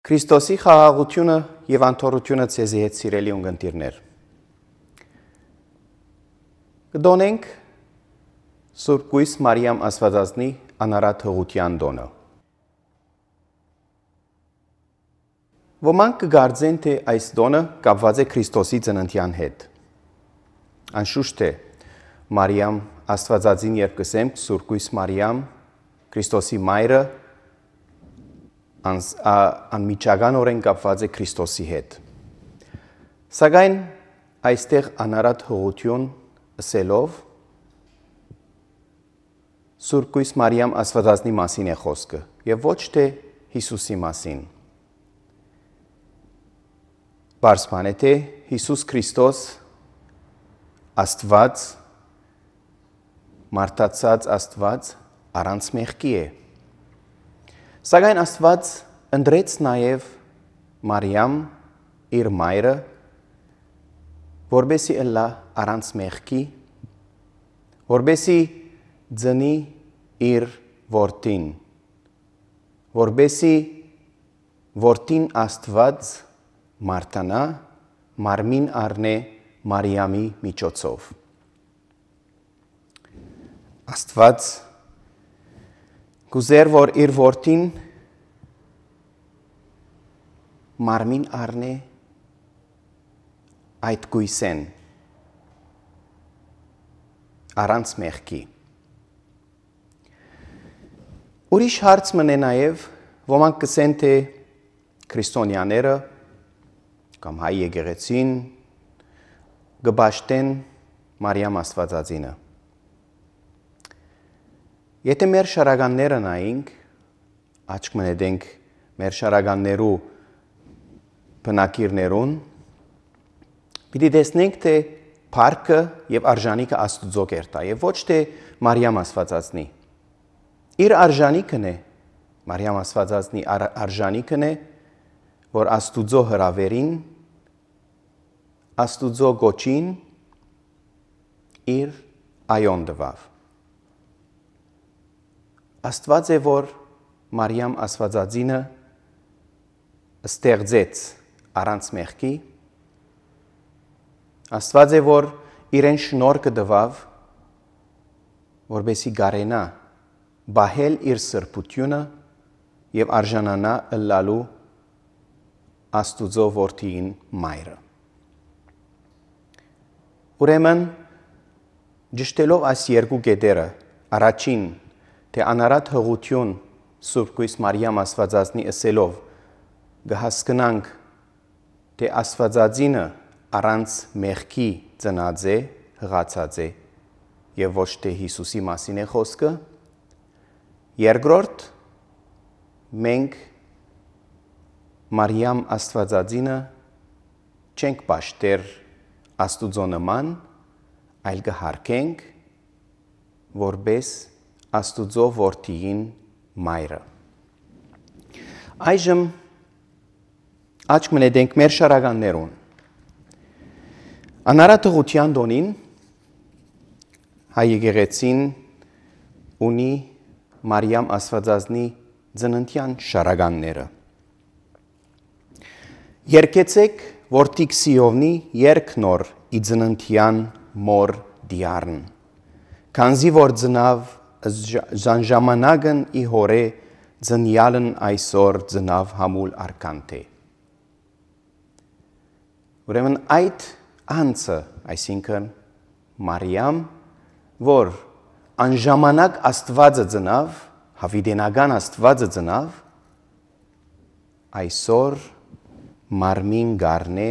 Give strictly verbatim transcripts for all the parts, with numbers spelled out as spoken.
Քրիստոսի խաղաղությունը եւ անթորությունը ցեզի հետ սիրելի ունգընտիրներ։ Կդոնենք Սուրբ Կույս Մարիամ Աստվածածնի անարատ հղության դոնը։ Ոմանք կգարձեն, թե այս դոնը կապված է Քրիստոսի ծննդյան հետ։ Անշուշտ է, Մարիամ Աստվածածին երբ կսենք Սուրբ Կույս Մարիամ, Քրիստոսի մայրը, անմիջական օրեն կապված է Քրիստոսի հետ։ Սակայն այստեղ անարատ հղություն ըսելով Սուրբ Կույս Մարիամ Աստվածածնի մասին է խոսքը եւ ոչ թե Հիսուսի մասին։ Բարձրան է թե Հիսուս Քրիստոս Աստված, մարդացած Աստված առանց մեղքի է։ Սակայն Աստված ընդրեց նաև Մարիամ իր մայրը, որբեսի ըլլա առանց մեղքի, որբեսի ձնի իր որդին, որբեսի որդին Աստված մարդանա, մարմին առնե Մարիամի միջոցով։ Աստված գուզեր, որ իր որդին մարմին առնե այդ գույսեն առանց մեղքի։ Ուրիշ հարց մնե նաև ոմանք կսեն, թե քրիստոնյաները կամ հայ եկեղեցին գբաշտեն Մարիամ Աստվածածինը։ Եթե մեր շարականները նայենք, աչք մնետենք մեր շարականներու բնակիրներուն, պիտի տեսնենք, թե փառքը եւ արժանիքը Աստուծո կերտա եւ ոչ թե Մարիամ Աստվածածնի։ Իր արժանիքն է, Մարիամ Աստվածածնի արժանիքն է, որ Աստուծո հրավերին, Աստուծո գոչին իր այոն տվավ։ Աստված է, որ Մարիամ Աստվածածինը ստեղծեց առանց մեղքի, Աստված է, որ իրեն շնորհքը տվավ, որբեսի գարենա բահել իր սրբությունը եւ արժանանա ըլլալու Աստուծո որդին մայրը։ Ուրեմն ճշտելով այս երկու կետերը, առաջին թե անարատ հղություն Սուրբ Կույս Մարիամ Աստվածածնի ըսելով կհասկնանք, թե Աստվածածինը առանց մեղքի ծնած է, հղացած է եւ ոչ թե Հիսուսի մասին է խոսքը։ Երկրորդ, մենք Մարիամ Աստվածածինը չենք պաշտեր Աստուծո նման, այլ կհարգենք որպես Աստուծո որդիին մայրը։ Այժմ աչք մնետենք մեր շարականներուն։ Անարատ հղության դոնին հայ եկեղեցին ունի Մարիամ Աստվածածնի ծննդյան շարականները։ Երկեցեք որդիկ Սիովնի երկ նոր ի ծննդյան մոր դիարն, քանզի որ ծնավ ժանժամանակն ի հորե ծնյալն այսօր ծնավ համուլ արկանթե։ Ուրեմն այդ անձը, այսինքն Մարիամ, որ անժամանակ Աստվածը ծնավ, հավիտենական Աստվածը ծնավ, այսօր մարմին գարնե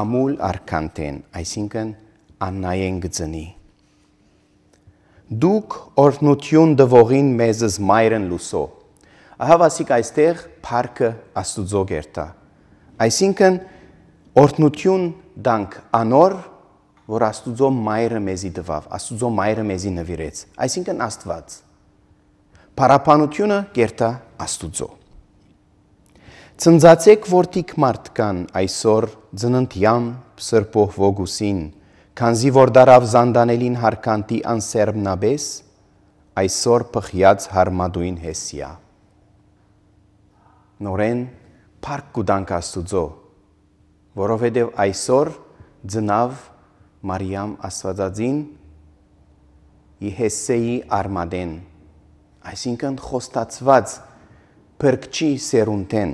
ամուլ արկանտեն, այսինքն աննայեն գծնի։ Դուք օրհնություն դվողին մեզս մայրն լուսո։ Ահա վասիկ այստեղ փառքը Աստուծո կերտա։ Այսինքն օրհնություն դանք անոր, որ Աստուծո մայրը մեզի տվավ, Աստուծո մայրը մեզի նվիրեց, այսինքն Աստված։ Փառաբանությունը կերտա Աստուծո։ Ծնծացեք որդիկ մարդկան այսօր ծննդյան սրբող ոգուսին, քանզի որ դարավ զանդանելին հարկանտի անսերմնաբես, այսօր պխյած հարմադույն հեսիա։ Նորեն փառք կուտանք Աստուծո, որովհետև այսօր ծնավ Մարիամ Աստվածածին Իհեսեի արմադեն, այսինքն խոստացված փրկչի սերունդեն։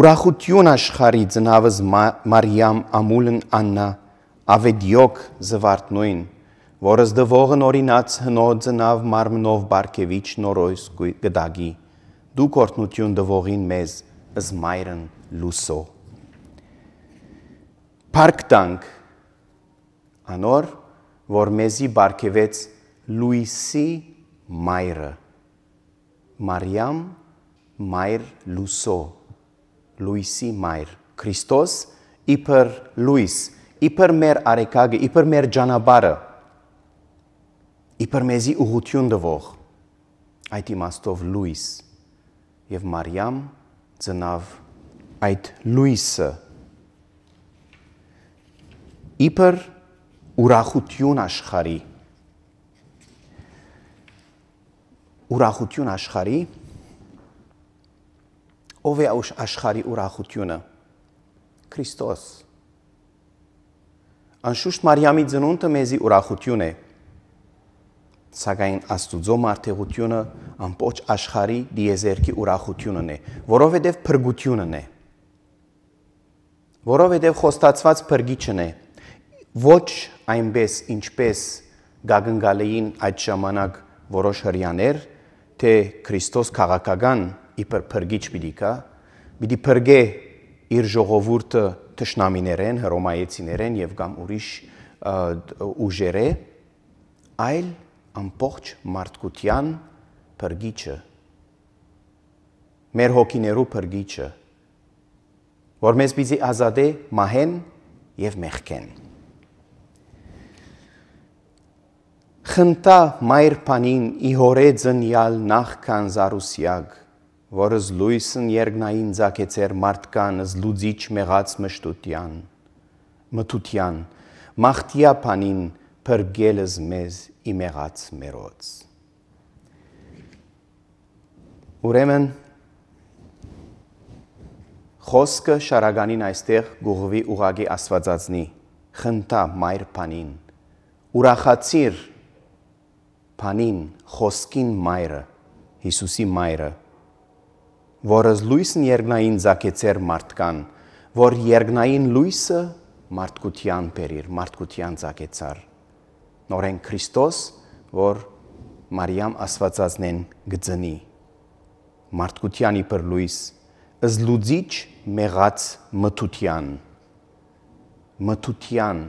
Ուրախություն աշխարհի ծնավыз Մարիամ ամուլն Աննա ավետյոք զվարթնույն, որս դվողն օրինած հնոց ծնավ մարմնով բարգևիչ նորոյս գդագի, դու կորտնություն դվողին մեզ ըզմայրն լուսո։ Փառք տանք անոր, որ մեզի բարգևեց լույսի մայրը, Մարիամ մայր լուսո, լույսի մայր, Քրիստոս իբր լույս, իբր մեր արեքագը, իբր մեր ջանաբարը, իբր մեզի ուղղություն դվող, այդ իմաստով լույս, և Մարիամ ծնավ այդ լույսը, իբր ուրախություն աշխարհի, ուրախություն աշխարհի, ով է աշխարհի ուրախությունը, Քրիստոս, անշուշտ Մարիամի ծնունդը մեզի ուրախություն է, սակայն Աստուծո մարդեղությունը ամբողջ աշխարհի դիեզերքի ուրախությունն է, որովհետև փրկությունն է, որովհետև խոստացված փրկիչն է, ոչ այնպես ինչպես գագնգալեին այդ ժամանակ որոշ հրյաներ, թե Քրիստոս քաղաքական իբր փրկիչ պիտի կա, պիտի փրկե իր ժողովուրդը թշնամիներեն, հռոմայեցիներեն եւ կամ ուրիշ ուժերը, այլ ամբողջ մարդկության փրկիչը, մեր հոգիներու փրկիչը, որ մեզ պիտի ազատե մահեն եւ մեղքեն։ Խնդա մայր փանին իհորե ծնյալ նախքան զարուսյակ, որս լույսն երգնային ձակեցեր մարդկան զլուծիչ մեղած մշտության, մթության, մաղթիա փանին փրկելս մեզ իմեղած մերոց։ Ուրեմն խոսքը շարականին այստեղ գուղվի ուղագի Աստվածածնի, խնդա մայր փանին, ուրախացիր փանին, խոսքին մայրը, Հիսուսի մայրը, որս լույսն երգնային ձակեցեր մարդկան, որ երգնային լույսը մարդկության բերիր, մարդկության ձակեցար, նորեն Քրիստոս, որ Մարիամ Աստվածածնեն գծնի, մարդկության իբր լույս, զլուծիչ մեղած մթության, մթության,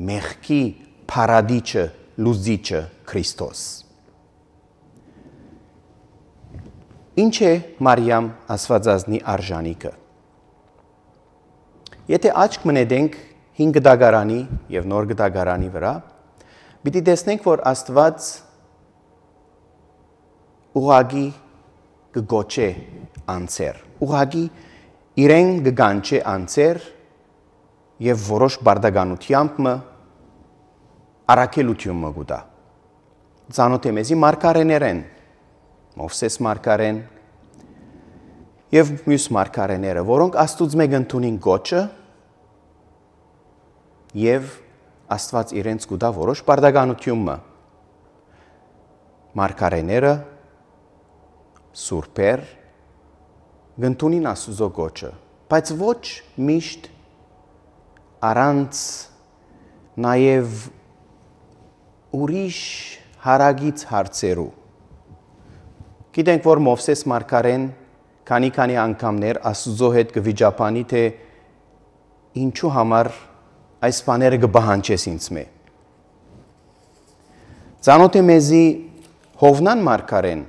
մեղքի փարադիչը, լուծիչը Քրիստոս։ Ինչ է Մարիամ Աստվածածնի արժանիքը։ Եթե աչք մնետենք հին գդագարանի եւ նոր գդագարանի վրա, պիտի տեսնենք, որ Աստված ուղագի կգոչե անձեր, ուղագի իրեն կգանչե անձեր եւ որոշ բարդականությամբ մը առաքելություն մը գուտա։ Ծանոթ է մեզի մարգարեներեն, Մովսես մարգարեն եւ մյուս մարգարեները, որոնք Աստուծո մեկ ընդունին գոչը եւ Աստված իրենց գուտա որոշ բարդականություն մը։ Մարգարեները սուրբեր գնդունին Աստուծո գոչը, բայց ոչ միշտ առանց նաեւ ուրիշ հարագից հարցերու։ Գիտենք, որ Մովսես մարգարեն քանի-քանի անգամներ Աստուծո հետ կվիճապանի, թե ինչու համար այս բաները կբահանջես ինձ մե։ Ծանոթ է մեզի Հովնան մարգարեն,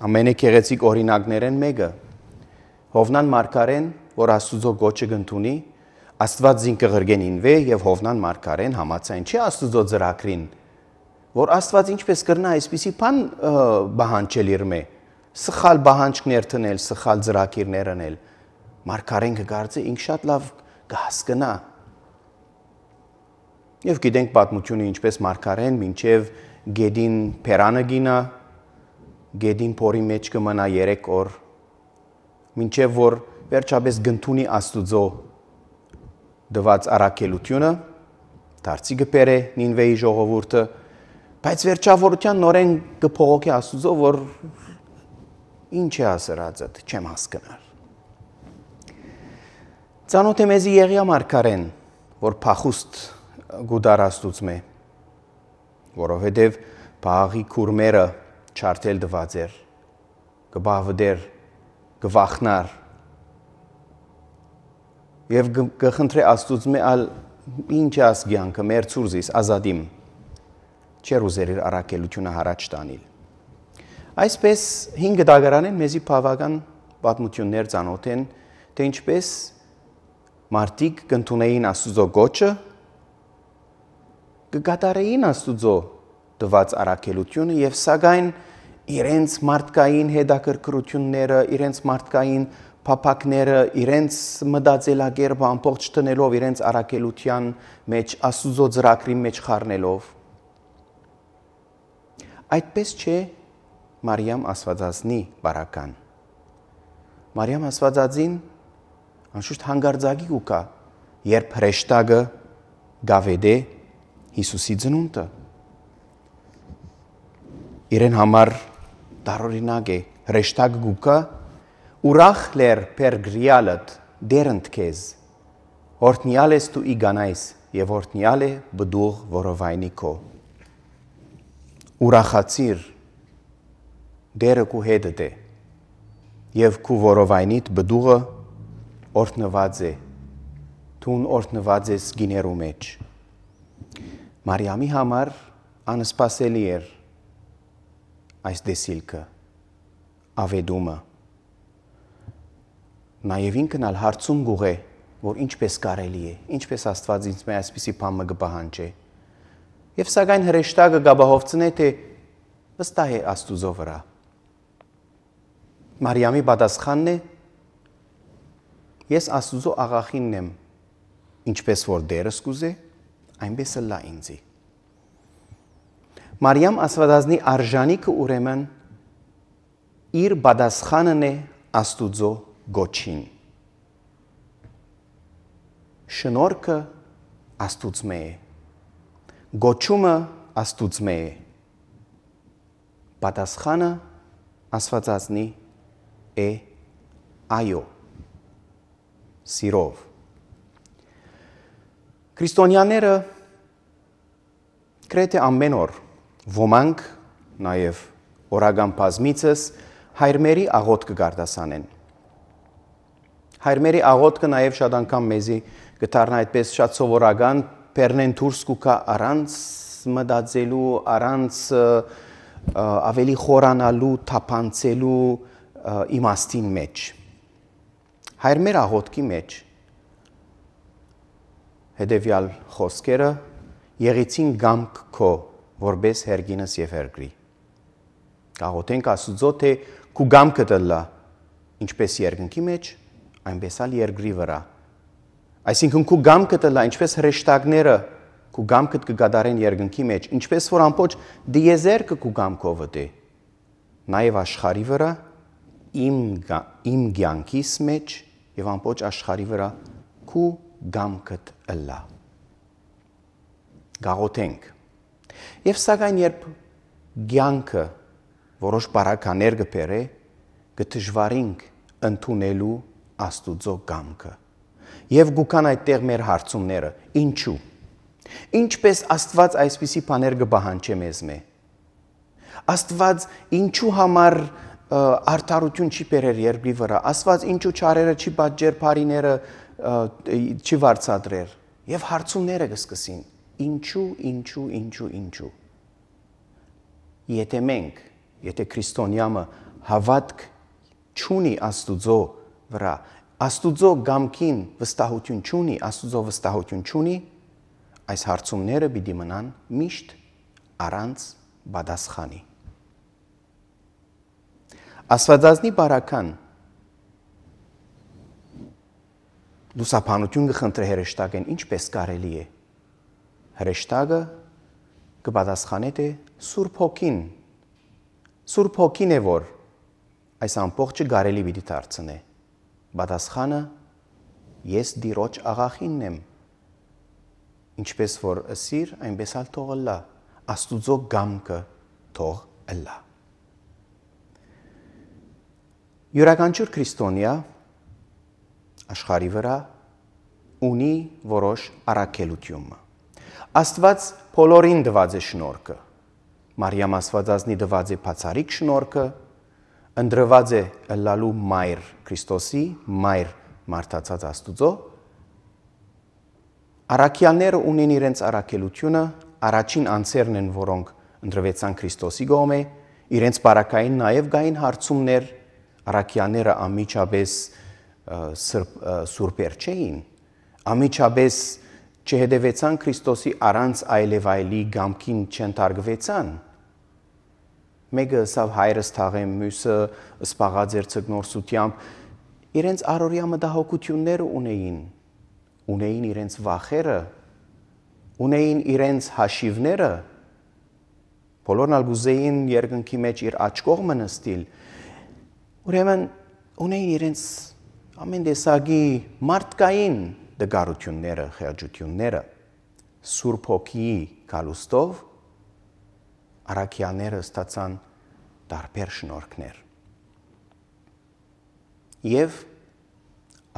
ամենագեղեցիկ օրինակներեն մեկը, Հովնան մարգարեն, որ Աստուծո գոչը կընդունի, Աստված զին կղրգեն ինվե եւ Հովնան մարգարեն համաձայն չի Աստուծո ծրագրին, որ Աստված ինչպես կրնա այսպիսի բան բահանջել իր մե, սխալ բահանջքներ տնել, սխալ ծրագիրներ անել, մարգարեն կգարձե ինք շատ լավ կհասկնա։ Եվ գիտենք պատմությունը ինչպես մարգարեն մինչև գեդին փերանը գինա, գեդին փորի մեջ կմնա երեք օր մինչև որ վերջապես գնդունի Աստուծո դված առաքելությունը, դարձի գպերը Նինվեի ժողովուրդը, բայց վերջավորության նորեն կփողոքի Աստուծո, որ ինչ է ասրածը, չեմ հասկնար։ Ծանոթ է մեզի Եղիա մարգարեն, որ փախուստ գուդար Աստուծմե, որովհետև բաղի քուրմերը չարթել դված էր, կբավդեր, կվախնար, և կխնդրե Աստուծմե ալ ինչ ասգյանքը մեր ծուրզիս ազադիմ, չեր ուզեր իր առաքելությունը հարաճ տանիլ։ Այսպես հինգ դագարանեն մեզի բավական պատմություններ ծանոթ են, թե ինչպես մարդիկ կընդունեին Աստուծո գոչը, կկատարեին Աստուծո տված առաքելությունը և սակայն իրենց մարդկային հետաքրքրությունները, իրենց մարդկային փափակները, իրենց մտածելակերպը ամբողջ տնելով իրենց առաքելության մեջ, Աստուծո ծրագրի մեջ խառնելով։ Այդպես չէ Մարիամ Աստվածածնի բարական։ Մարիամ Աստվածածին անշուշտ հանգարձակի կուկա, երբ հրեշտակը գավեդե Հիսուսի ծնունդը։ Իրեն համար տարօրինակ է, հրեշտակը կուկա, ուրախ լեր պերգրիալըտ դերընդ քեզ, հորտնյալ ես դու իգանայս և հորտնյալ է բդուղ որովայնի քո։ Ուրախացիր դերը քու հետդ է և քու որովայնիդ բդուղը օրհնված է, դուն օրհնված ես գիներու մեջ։ Մարիամի համար անսպասելի էր այս դեսիլքը, ավեդումը։ Նաև ինքն ալ հարցում գուղ է, որ ինչպես կարելի է, ինչպես Աստված ինձ մե այսպիսի բան մը կպահանջե։ Եվ սակայն հրեշտակը գաբահովցնե, թե վստահ է Աստուծո վրա։ Մարիամի պատասխանն է. ես Աստուծո աղախինն եմ, ինչպես որ դերս կուզե, այնպես լա ինձի։ Մարիամ Աստվածածնի արժանիքը ուրեմն իր պատասխանն է Աստուծո գոչին։ Շնորհքը Աստուծմե է, գոչումը Աստուծմե է, պատասխանը Աստվածածնի է այո, սիրով։ Քրիստոնյաները գրեթե ամեն օր, ոմանք նաև օրական բազմիցս հայրմերի աղոթքը կարտասանեն։ Հայրմերի աղոթքը նաև շատ անգամ մեզի կդառնա այդպես շատ սովորական, բեռնեն դուրս կուքա առանց մտածելու, առանց ավելի խորանալու, թափանցելու իմաստին մեջ։ Հայրմեր աղոթքի մեջ հետևյալ խոսքերը եղեցին գամք քո, որպես հերգինս և հերգրի։ Կաղոթենք Աստուծո, թե քու գամքը տլա, ինչպես երկնքի մեջ, այնպես ալ երկրի վրա։ Այսինքն քու գամքը տլա, ինչպես հրեշտակները քու գամքը կկատարեն երկնքի մեջ, ինչպես որ ամբողջ դիեզերքը քու գամքով է, նաև աշխարհի վրա, իմ իմ կյանքիս մեջ եւ ամբողջ աշխարհի վրա քու գամքդ ըլլա։ Գաղոթենք։ Եվ սակայն երբ կյանքը որոշ բարականեր կբերե, կդժվարինք ընդունելու Աստուծո կամքը։ Եվ գուքան այդտեղ մեր հարցումները, ինչու։ Ինչպես Աստված այսպիսի բաներ կպահանջե մեզ մե։ Աստված ինչու համար արդարություն չի բերեր երկրի վրա, Աստված ինչու չարերը չի պատճեր, բարիները չի վարձատրեր։ Եվ հարցումները կսկսին, ինչու, ինչու, ինչու, ինչու։ Եթե մենք, եթե քրիստոնյամը հավատք չունի Աստուծո վրա, Աստուծո գամքին վստահություն չունի, Աստուծո վստահություն չունի, այս հարցումները պիտի մնան միշտ առանց պատասխանի։ Աստվածածնի բարական լուսաբանություն կխնդրե հրեշտակեն, ինչպես կարելի է։ Հրեշտակը կպատասխանե, թե Սուրբ Հոգին, Սուրբ Հոգին է, որ այս ամբողջը կարելի պիտի դարձնե։ Պատասխանը ես դիրոջ աղախինն եմ։ Ինչպես որ ըսիր, այնպես ալ թող ըլլա, Աստուծո գամքը թող ըլլա։ Յուրաքանչյուր քրիստոնյա աշխարհի վրա ունի որոշ առաքելություն։ Աստված բոլորին տված է շնորհքը։ Մարիամ Աստվածածնի տված է բացառիկ շնորհքը, ընտրված է ըլլալու մայր Քրիստոսի, մայր մարդացած Աստուծո։ Առաքյալները ունեն իրենց առաքելությունը, առաջին անձերն են, որոնք ընտրվեցան Քրիստոսի կողմէ, իրենց բարակային նաև գային հարցումներ, առաքյալները անմիջապես սուրբեր չէին, անմիջապես չհետևեցան Քրիստոսի առանց այլևայլի գամքին չընթարգվեցան։ Մեկը սավ հայրս թաղեմ, մյուսը սպաղած էր ցգնորսությամբ, իրենց առօրյա մտահոգությունները ունեին, ունեին իրենց վախերը, ունեին իրենց հաշիվները, բոլորն ալ գուզեին երկնքի մեջ իր աջ կողմը նստիլ, ուրեմն ունեին իրենց ամեն տեսակի մարդկային դգարությունները, խեղճությունները, Սուրբ Հոգիի գալուստով առաքյալները ստացան տարբեր շնորհքներ։ Եվ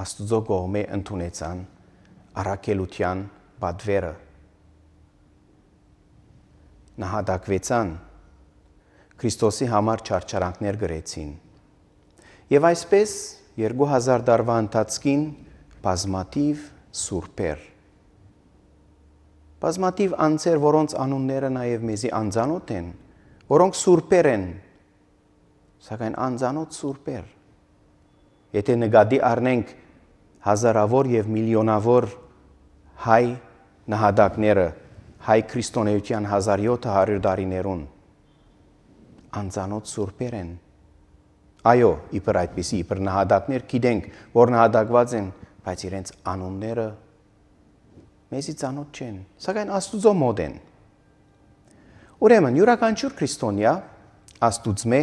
Աստուծո կողմէ ընդունեցան առաքելության պատվերը, նահատակվեցան, Քրիստոսի համար չարչարանքներ գրեցին։ Եվ այսպես երկու հազար տարվա ընթացքին բազմաթիվ սուրբեր, բազմաթիվ անձեր, որոնց անունները նաև մեզի անծանոթ են, որոնք սուրբեր են, սակայն անծանոթ սուրբեր։ Եթե նկատի առնենք հազարավոր եւ միլիոնավոր հայ նահատակները, հայ քրիստոնեության հազար յոթ հարյուր տարիներուն, անծանոթ սուրբեր են։ Այո, իբր այդպիսի, իբր նահատակներ գիտենք, որ նահատակված են, բայց իրենց անունները մեզի ծանոթ չեն, սակայն Աստուծո մոտ են։ Ուրեմն յուրաքանչյուր քրիստոնյա Աստուծմե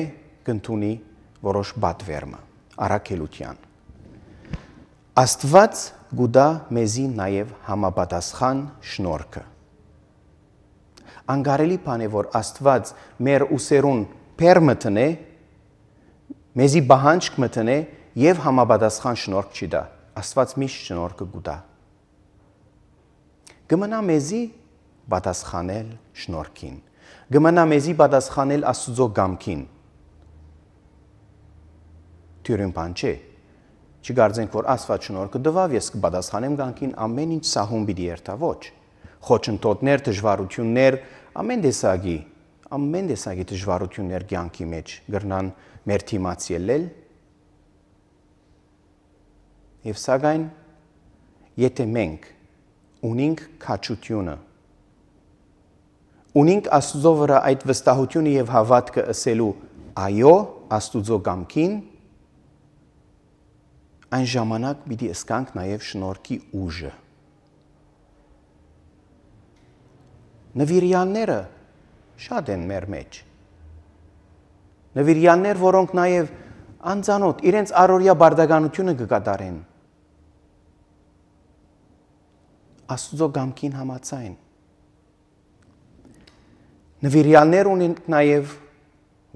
կընդունի որոշ պատվերմը, առաքելության։ Աստված գուտա մեզի նաև համապատասխան շնորհքը։ Անկարելի բան է, որ Աստված մեր ուսերուն բեր մտնե, մեզի բահանջք մտնե եւ համապատասխան շնորհք չի տա։ Աստված միշտ շնորհքը գուտա։ Գմնա մեզի պատասխանել շնորհքին։ Գմնա մեզի պատասխանել Աստուծո գամքին։ Թյուրին բան չէ։ Չգարձենք, որ Աստված շնորհքը տվավ, ես կպատասխանեմ գամքին, ամեն ինչ սահուն պիտի երթա, ոչ։ Խոչընդոտներ, դժվարություններ, ամեն տեսակի, ամեն տեսակի դժվարություններ կյանքի մեջ գրնան մեր թիմաց ելնել։ Եվ սակայն, եթե մենք ունենք քաջությունը, ունենք Աստուծո վրա այդ վստահությունը եւ հավատքը ըսելու այո Աստուծո գամքին, այն ժամանակ պիտի ըսկանք նաեւ շնորհքի ուժը։ Նվիրյալները շատ են մեր մեջ։ Նվիրյալներ, որոնք նաև անծանոթ իրենց առօրյա բարդականությունը կկատարեն։ Աստուծո գամքին համաձայն։ Նվիրյալներ ունեն նաև,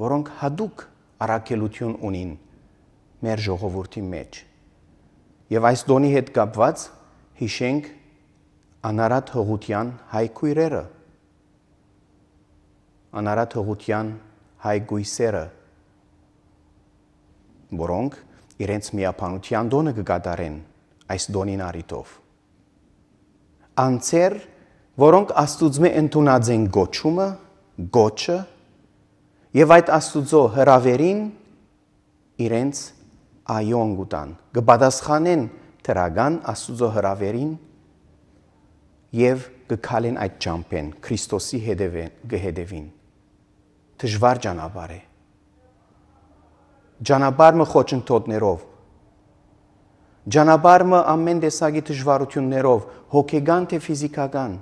որոնք հատուկ առաքելություն ունին մեր ժողովրդի մեջ։ Եվ այս դոնի հետ կապված հիշենք անարատ հղության հայ քույրերը, անարատ հղության հայ գույսերը, որոնք իրենց միապանության դոնը կկատարեն այս դոնին առիթով։ Անձեր, որոնք Աստուծմե ընդունած են գոչումը, գոչը, եւ այդ Աստուծո հրավերին իրենց այոն գուտան, կպատասխանեն թրական Աստուծո հրավերին եւ կքալեն այդ ճամփեն Քրիստոսի հետևին։ Դժվար ճանապարհ է։ Ճանապարհը խոչընդոտներով, ճանապարհը ամեն տեսակի դժվարություններով, հոգեգան թե ֆիզիկական,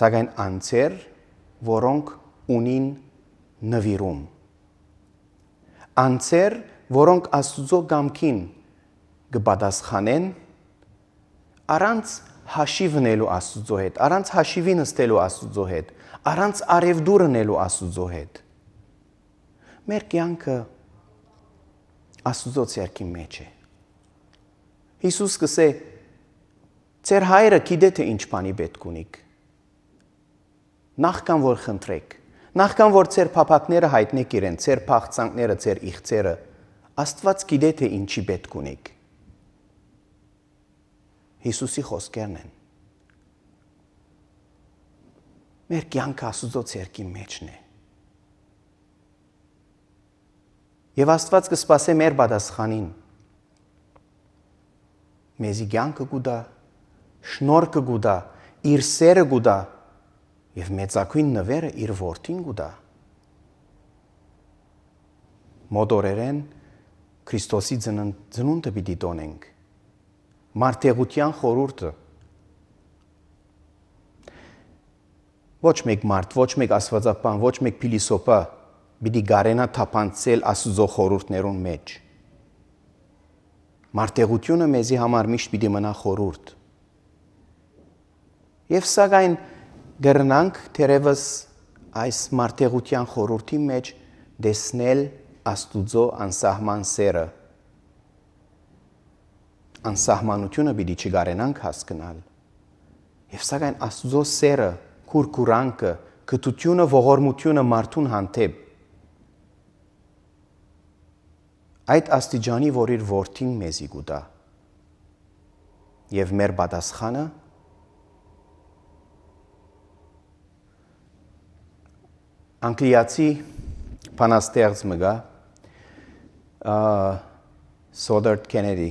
սակայն անձեր, որոնք ունին նվիրում, անձեր, որոնք Աստուծո գամքին կպատասխանեն առանց հաշիվնելու Աստուծո հետ, առանց հաշիվի նստելու Աստուծո հետ, առանց արևդուր ընելու Աստուծո հետ։ Մեր կյանքը Աստուծո ցերքի մեջ է։ Հիսուս կսե ձեր հայրը գիտե թե ինչ բանի պետք ունիք։ Նախքան որ խնդրեք, նախքան որ ձեր փափակները հայտնեք իրեն, ձեր փախցանքները, ձեր իղձերը, Աստված գիտե թե ինչի պետք ունիք։ Հիսուսի խոսքերն են։ Մեր կյանքը Աստուծո ցերքի մեջն է։ Եվ Աստված կսպասե մեր պատասխանին։ Մեզի կյանքը կուտա, շնորհքը կուտա, իր սերը կուտա եւ մեծակույն նվերը իր որդին կուտա։ Մոդորերեն Քրիստոսի ծնունդը պիտի տոնենք։ Մարդեղության խորհուրդը։ Ոչ մեկ մարդ, ոչ մեկ աստվածապան, ոչ մեկ փիլիսոփա պիտի գարենա թափանցել Աստուծո խորհուրդներուն մեջ։ Մարդեղությունը մեզի համար միշտ պիտի մնա խորհուրդ։ Եվ սակայն գրնանք թերևս այս մարդեղության խորհրդի մեջ դեսնել Աստուծո անսահման սերը։ Անսահմանությունը պիտի չգարենանք հասկանալ։ Եվ սակայն Աստուծո սերը, քուրքուրանքը, գթությունը, ողորմությունը մարդուն հանդեպ այդ աստիճանի, որ իր որդին մեզի կուտա։ Եվ մեր պատասխանը անգլիացի բանաստեղծ մգա Սոդերտ Քենեդի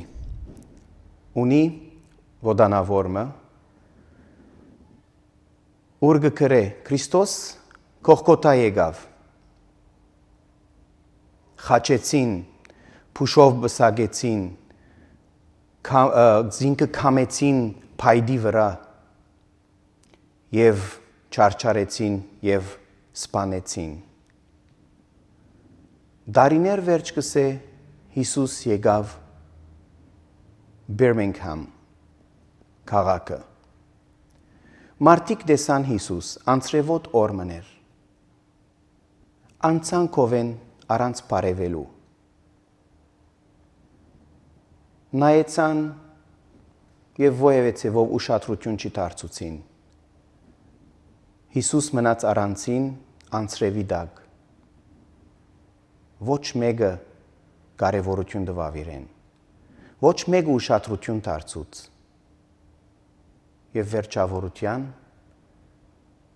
ունի ոդանավորմը ուր գկրե Քրիստոս կողքոտա եկավ խաչեցին փուշով բսագեցին զինքը կամեցին փայդի վրա եւ չարչարեցին եւ սպանեցին Դարիներ վերջ կսե Հիսուս եկավ Բիրմինգհամ քաղաքը Մարդիկ դեսան Հիսուս անցրևոտ օր մներ անցան կովեն առանց բարևելու նայեցան եւ ովևէ ցեվով ուշադրություն չդարձուցին Հիսուս մնաց առանցին անցրևի դակ ոչ մեկը կարևորություն տվավ իրեն ոչ մեկը ուշադրություն դարձուց եւ վերջավորության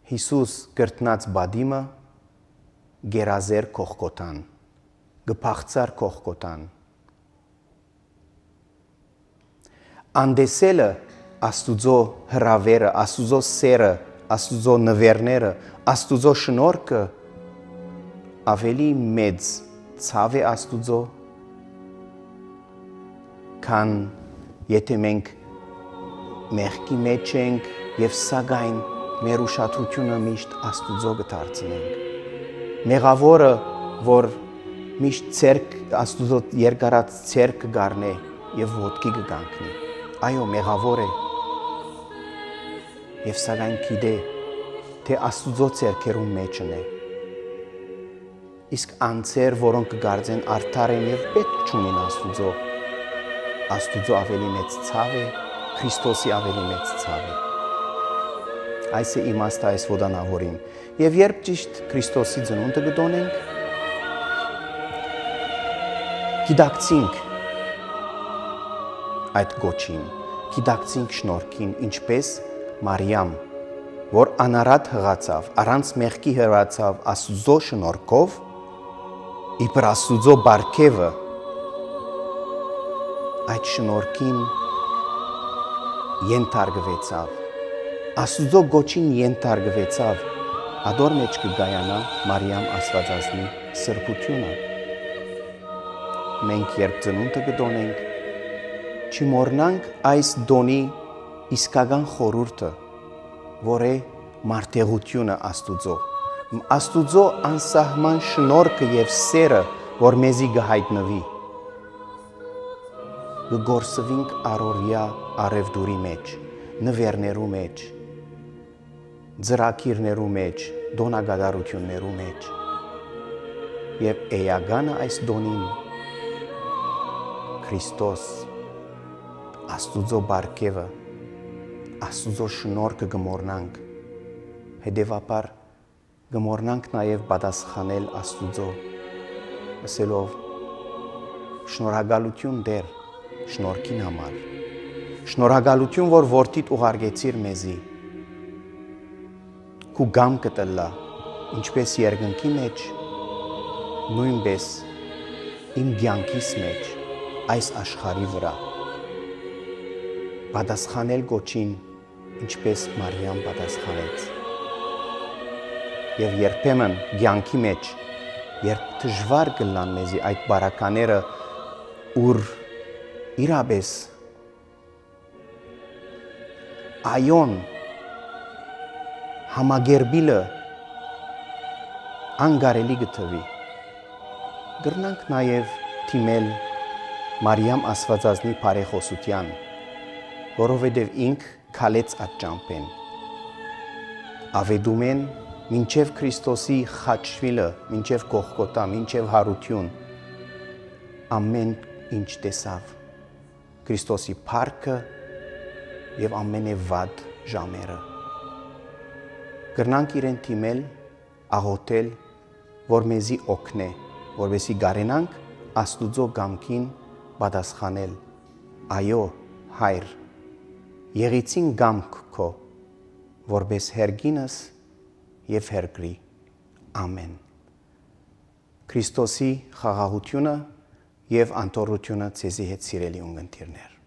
Հիսուս կրտնած բադիմը գերազեր կողքոտան գփախցար կողքոտան անդեսելը Աստուծո հրավերը Աստուծո սերը Աստուծո նվերները Աստուծո շնորհքը ավելի մեծ ցավ է Աստուծո քան եթե մենք մեղքի մեջ ենք եւ սակայն մեր ուշադրությունը միշտ Աստուծո կդարձնենք մեղավորը որ միշտ ցերկ Աստուծո երկարած ցերկ գառնե եւ ոտքի կգանքնի այո մեղավոր է եւ սակայն գիտե թե Աստուծո ցերկերում մեջն է իսկ անցեր որոնք կգարձեն արդար են եւ պետք չունեն Աստուծո Աստուծո ավելի մեծ ցավ է Քրիստոսի ավելի մեծ ցավ է այս է իմաստը այս ոդանավորին եւ երբ ճիշտ Քրիստոսի ծնունդը կդոնենք գիտակցինք այդ գոչին գիտակցինք շնորհքին ինչպես Մարիամ որ անարատ հղացավ առանց մեղքի հրացավ Աստուծո շնորհքով իբր Աստուծո բարգեւը այդ շնորհքին ենթարկվեցավ Աստուծո գոչին ենթարկվեցավ ադոր մեջ կգայանա Մարիամ Աստվածածնի սրբությունը մենք երբ ծնունդը կդոնենք չմոռնանք այս դոնի իսկական խորհուրդը որ է մարդեղությունը Աստուծո Աստուծո անսահման շնորհքը եւ սերը որ մեզի գահիտնվի գորսվինք առօրյա արևդուրի մեջ, նվերներու մեջ, ձրակիրներու մեջ, դոնագադարություններու մեջ, եւ էյագանը այս դոնին Քրիստոս Աստուծո բարգևը, Աստուծո շնորհքը գմորնանք, հետևաբար գմորնանք նաեւ պատասխանել Աստուծո, ասելով շնորհակալություն Տեր, շնորհքին համար, շնորհակալություն, որ որդիդ ուղարկեցիր մեզի, քու գամքը տլա, ինչպես երկնքի մեջ, նույնպես իմ կյանքիս մեջ, այս աշխարհի վրա, պատասխանել գոչին, ինչպես Մարիամ պատասխանեց։ Եվ երբեմն կյանքի մեջ, երբ դժվար կլան մեզի այդ բարակաները, ուր իրապես այոն համագերբիլը անգարելի գտվի, գրնանք նաև թիմել Մարիամ Աստվածածնի բարեխոսության, որովհետև ինք քալեց այդ ճամփեն։ Ավետում են մինչև Քրիստոսի խաչվիլը, մինչև Գողգոթա, մինչև հարություն, ամեն ինչ տեսավ Քրիստոսի փառքը եւ ամենեվատ ժամերը։ Գրնանք իրեն թիմել, աղոթել, որ մեզի օգնե, որովհետեւ գարենանք Աստուծո գամքին պատասխանել։ Այո, Հայր, եղեցին գամք քո, որպես հերգինս եւ հերգրի։ Ամեն։ Քրիստոսի խաղաղությունը եւ անտորությունը ցեզի հետ սիրելի ունգընտիրներ։